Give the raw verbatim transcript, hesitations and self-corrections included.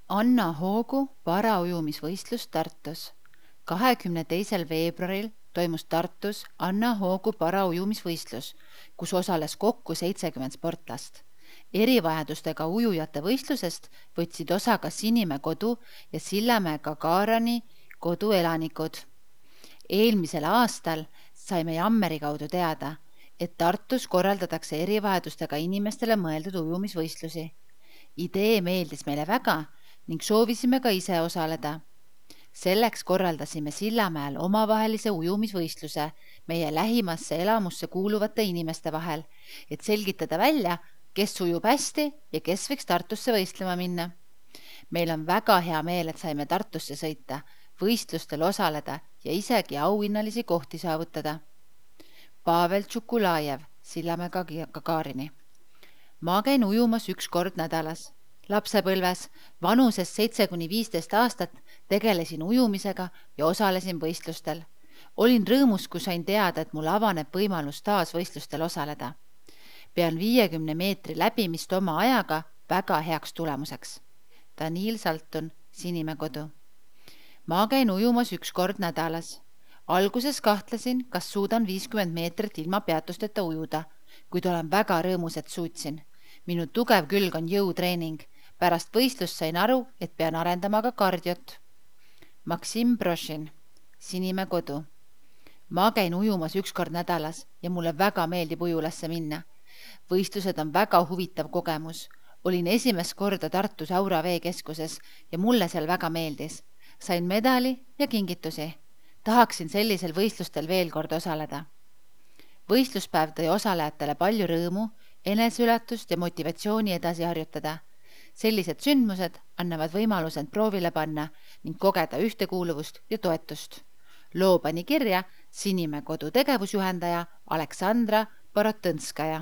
Anna Hoogu paraujumisvõistlus Tartus. kahekümne teisel veebruaril toimus Tartus Anna Hoogu paraujumisvõistlus, kus osales kokku seitsekümmend sportlast. Erivajadustega ujujate võistlusest võtsid osa ka Sinimäe kodu ja Sillamäe Gagarini kodu elanikud. Eelmisel aastal saime Jammeri kaudu teada, et Tartus korraldatakse erivajadustega inimestele mõeldud ujumisvõistlusi. Idee meeldis meile väga ning soovisime ka ise osaleda. Selleks korraldasime Sillamäel omavahelise ujumisvõistluse meie lähimasse elamusse kuuluvate inimeste vahel, et selgitada välja, kes ujub hästi ja kes võiks Tartusse võistlema minna. Meil on väga hea meel, et saime Tartusse sõita, võistlustel osaleda ja isegi auhinnalisi kohti saavutada. Pavel Tšukulajev, Sillamäe Gagarini. Ma käin ujumas üks kord nädalas. Lapsepõlves, vanuses seitse kuni viisteist aastat tegelesin ujumisega ja osalesin võistlustel. Olin rõõmus, kui sain teada, et mul avaneb võimalus taas võistlustel osaleda. Pean viiekümne meetri läbimist oma ajaga väga heaks tulemuseks. Daniil Saltun, Sinimäe kodu. Ma käin ujumas üks kord nädalas. Alguses kahtlesin, kas suudan viiskümmend meetrit ilma peatusteta ujuda, kuid olen väga rõõmus, et suutsin. Minu tugev külg on jõutreening. Pärast võistlust sain aru, et pean arendama ka kardiot. Maksim Brošin, Sinimäe kodu. Ma käin ujumas üks kord nädalas ja mulle väga meeldib ujulasse minna. Võistlused on väga huvitav kogemus. Olin esimest korda Tartus Aura veekeskuses ja mulle seal väga meeldis. Sain medali ja kingitusi. Tahaksin sellisel võistlustel veel kord osaleda. Võistluspäev tõi osalejatele palju rõõmu, eneseületust ja motivatsiooni edasi harjutada. Sellised sündmused annavad võimaluse end proovile panna ning kogeda ühtekuuluvust ja toetust. Loo pani kirja Sinimäe kodu tegevusjuhendaja Aleksandra Borotõnskaja.